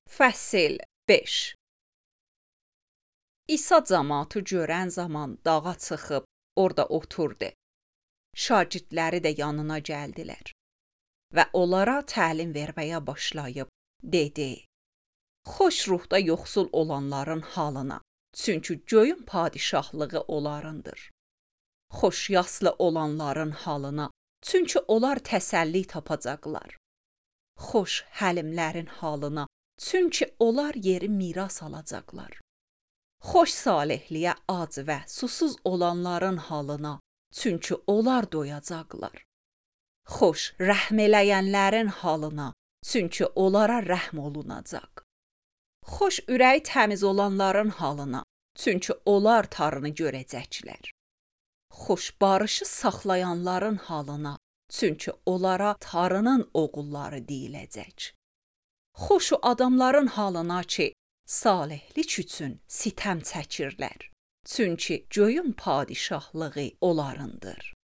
Fəsil 5. İsa cəmaatı görən zaman dağa çıxıb orada oturdu. Şagirdləri də yanına gəldilər və onlara təlim verməyə başlayıb dedi: Xoş ruhda yoxsul olanların halına, çünki göyün padişahlığı onlarındır. Xoş yaslı olanların halına, çünki onlar təsəlli tapacaqlar. Xoş həlimlərin halına, çünki onlar yeri miras alacaqlar. Xoş salihliyə ac və susuz olanların halına, çünki onlar doyacaqlar. Xoş rəhm eləyənlərin halına, çünki onlara rəhm olunacaq. Xoş ürəyi təmiz olanların halına, çünki onlar Tanrını görəcəklər. Xoş barışı saxlayanların halına, çünki onlara Tanrının oğulları deyiləcək. Xoş o adamların halına ki, salihlik üçün sitəm çəkirlər, çünki göyün padişahlığı onlarındır.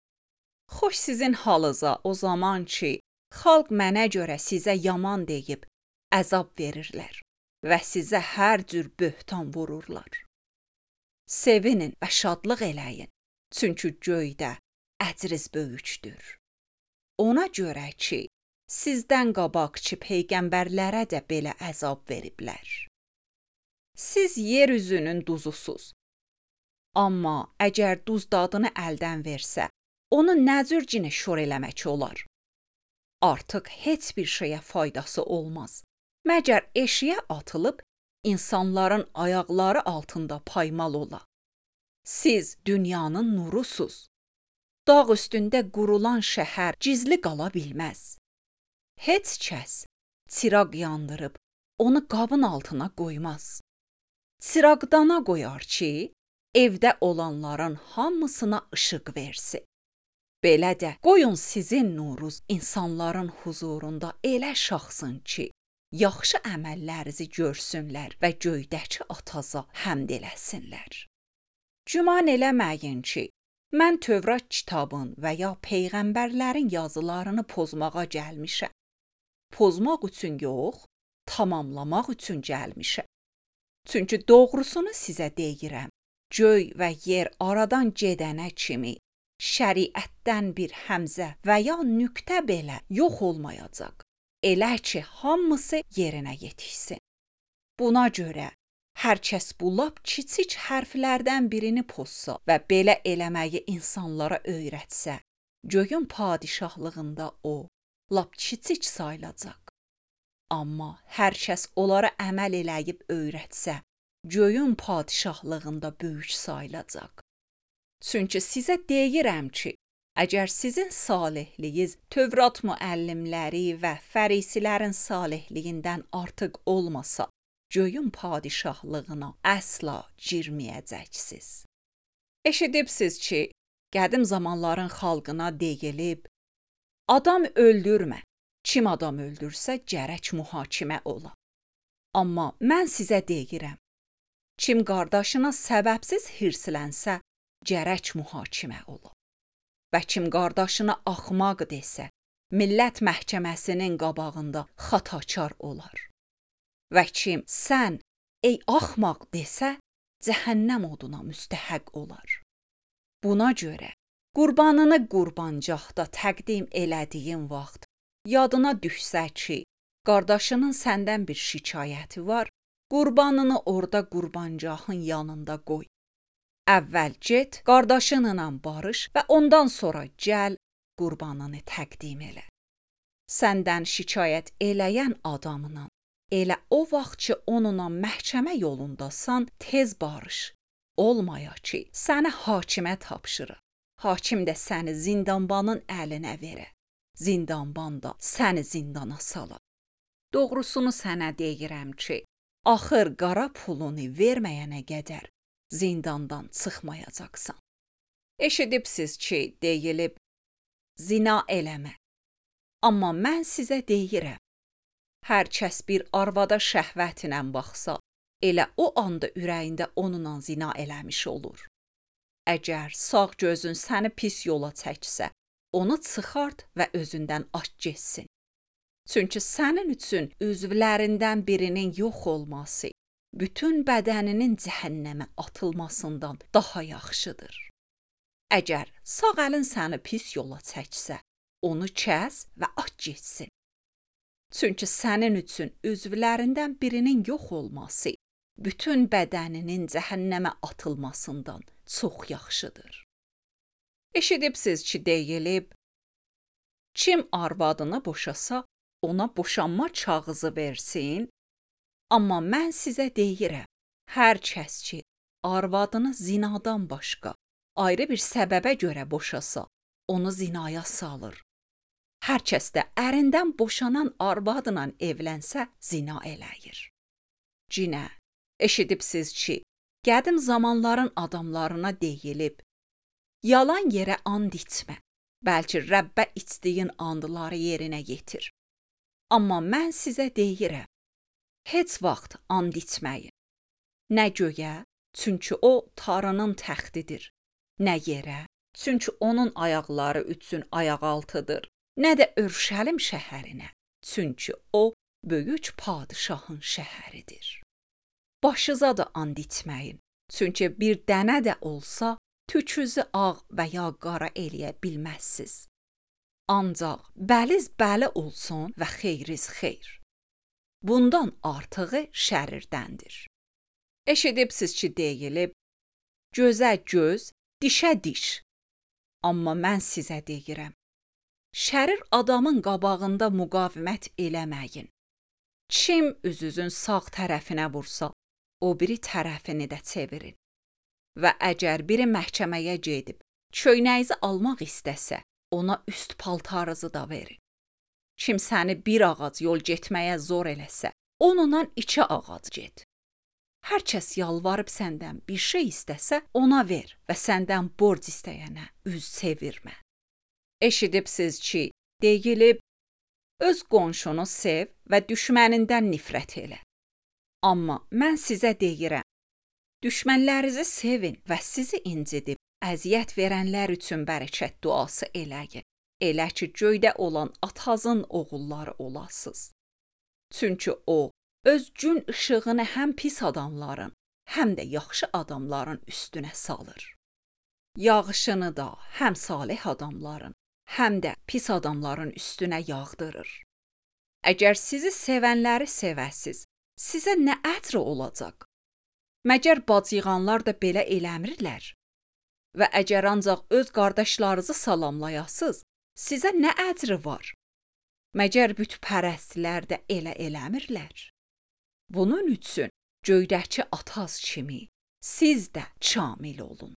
Xoş sizin halınıza o zaman ki, xalq mənə görə sizə yaman deyib əzab verirlər və sizə hər cür böhtan vururlar. Sevinin və şadlıq eləyin, çünki göydə əcriz böyükdür. Ona görə ki, sizdən qabaqçı peyğəmbərlərə də belə əzab veriblər. Siz yer üzünün duzusuz. Amma əgər duz dadını əldən versə, onu nə cür cinə şor eləmək olar? Artıq heç bir şeyə faydası olmaz. Məgər eşiyə atılıb, insanların ayaqları altında paymal ola. Siz dünyanın nurusuz. Dağ üstündə qurulan şəhər gizli qala bilməz. Heç kəs çıraq yandırıb onu qabın altına qoymaz. Çıraqdana qoyar ki, evdə olanların hamısına işıq versin. Belə də qoyun sizin nurunuz insanların huzurunda elə şaxsın ki, yaxşı əməllərinizi görsünlər və göydəki ataza həmd eləsinlər. Güman eləməyin ki, mən Tövrat kitabın və ya peyğəmbərlərin yazılarını pozmağa gəlmişəm. Pozmaq üçün yox, tamamlamaq üçün gəlmişəm. Çünki doğrusunu sizə deyirəm, göy və yer aradan gedənə kimi şəriətdən bir həmzə və ya nöqtə belə yox olmayacaq. Elə ki, hamısı yerinə yetişsin. Buna görə hər kəs bu lap kiçik hərflərdən birini pozsa və belə eləməyi insanlara öyrətsə, göyün padişahlığında o lap kiçik sayılacaq. Amma hər kəs onlara əməl eləyib öyrətsə, göyün padişahlığında böyük sayılacaq. Çünki sizə deyirəm ki, əgər sizin salihliyiniz Tövrat müəllimləri və fərisilərin salihliyindən artıq olmasa, göyün padişahlığına əsla girməyəcəksiniz. Eşidibsiz ki, qədim zamanların xalqına deyilib, adam öldürmə. Kim adam öldürsə, gərək mühakimə ola. Amma mən sizə deyirəm, kim qardaşına səbəbsiz hirslənsə, gərək mühakimə ola. Və kim qardaşına axmaq desə, millət məhkəməsinin qabağında xatakar olar. Və kim sən, ey axmaq desə, cəhənnəm oduna müstəhəq olar. Buna görə qurbanını qurbancaqda təqdim elədiyin vaxt, yadına düşsə ki, qardaşının səndən bir şikayəti var, qurbanını orada qurbancağın yanında qoy. Əvvəl get, qardaşınla barış və ondan sonra gəl, qurbanını təqdim elə. Səndən şikayət eləyən adamla, elə o vaxt ki, onunla məhkəmə yolundasan, tez barış. Olmaya ki, səni hakimə tapşırır. Hakim də səni zindanbanın əlinə verə. Zindanban da səni zindana salar. Doğrusunu sənə deyirəm ki, axır qara pulunu verməyənə qədər zindandan çıxmayacaqsan. Eşidibsiz ki, deyilib, zina eləmə. Amma mən sizə deyirəm, hər kəs bir arvada şəhvətlə baxsa, elə o anda ürəyində onunla zina eləmiş olur. Əgər sağ gözün səni pis yola çəksə, onu çıxart və özündən aç getsin. Çünki sənin üçün üzvlərindən birinin yox olması bütün bədəninin cəhənnəmə atılmasından daha yaxşıdır. Əgər sağ əlin səni pis yola çəksə, onu kəs və at getsin. Çünki sənin üçün üzvlərindən birinin yox olması bütün bədəninin cəhənnəmə atılmasından çox yaxşıdır. Eşidibsiz ki, deyilib, kim arvadını boşasa, ona boşanma kağızı versin, amma mən sizə deyirəm, hər kəs ki, arvadını zinadan başqa ayrı bir səbəbə görə boşasa, onu zinaya salır. Hər kəs də ərindən boşanan arvadla evlənsə, zina eləyir. Cinə, eşidibsiz ki, qədim zamanların adamlarına deyilib, yalan yerə and içmə, bəlkə Rəbbə içdiyin andları yerinə yetir. Amma mən sizə deyirəm, heç vaxt and içməyin. Nə göyə, çünki o Tanrının təxtidir. Nə yerə, çünki onun ayaqları üçün ayaqaltıdır. Nə də Örşəlim şəhərinə, çünki o böyük padişahın şəhəridir. Başınıza da and içməyin, çünki bir dənə də olsa, tükünüzü ağ və ya qara eləyə bilməzsiniz. Ancaq bəliz bəli olsun və xeyriz xeyr. Bundan artığı şərirdəndir. Eşidibsiz ki, deyilib, gözə göz, dişə diş. Amma mən sizə deyirəm, şərir adamın qabağında müqavimət eləməyin. Kim üzünüzün sağ tərəfinə vursa, o biri tərəfini də çevirin. Və əgər biri məhkəməyə gedib, köynəyinizi almaq istəsə, ona üst paltarınızı da verin. Kim səni bir ağac yol getməyə zor eləsə, onunla 2 ağac get. Hər kəs yalvarıb səndən bir şey istəsə, ona ver və səndən borc istəyənə üz çevirmə. Eşidibsiz ki, deyilib, öz qonşunu sev və düşmənindən nifrət elə. Amma mən sizə deyirəm, düşmənlərinizi sevin və sizi incidib, əziyyət verənlər üçün bərəkət duası eləyin. Elə ki, göydə olan Atanızın oğulları olasınız. Çünki o, öz gün işığını həm pis adamların, həm də yaxşı adamların üstünə salır. Yağışını da həm salih adamların, həm də pis adamların üstünə yağdırır. Əgər sizi sevənləri sevəsiz, sizə nə əcri olacaq? Məgər bacıyğanlar da belə eləmirlər? Və əgər ancaq öz qardaşlarınızı salamlayasınız, sizə nə əcri var? Məgər bütpərəstlər də elə eləmirlər? Bunun üçün göydəki Ataz kimi siz də kamil olun.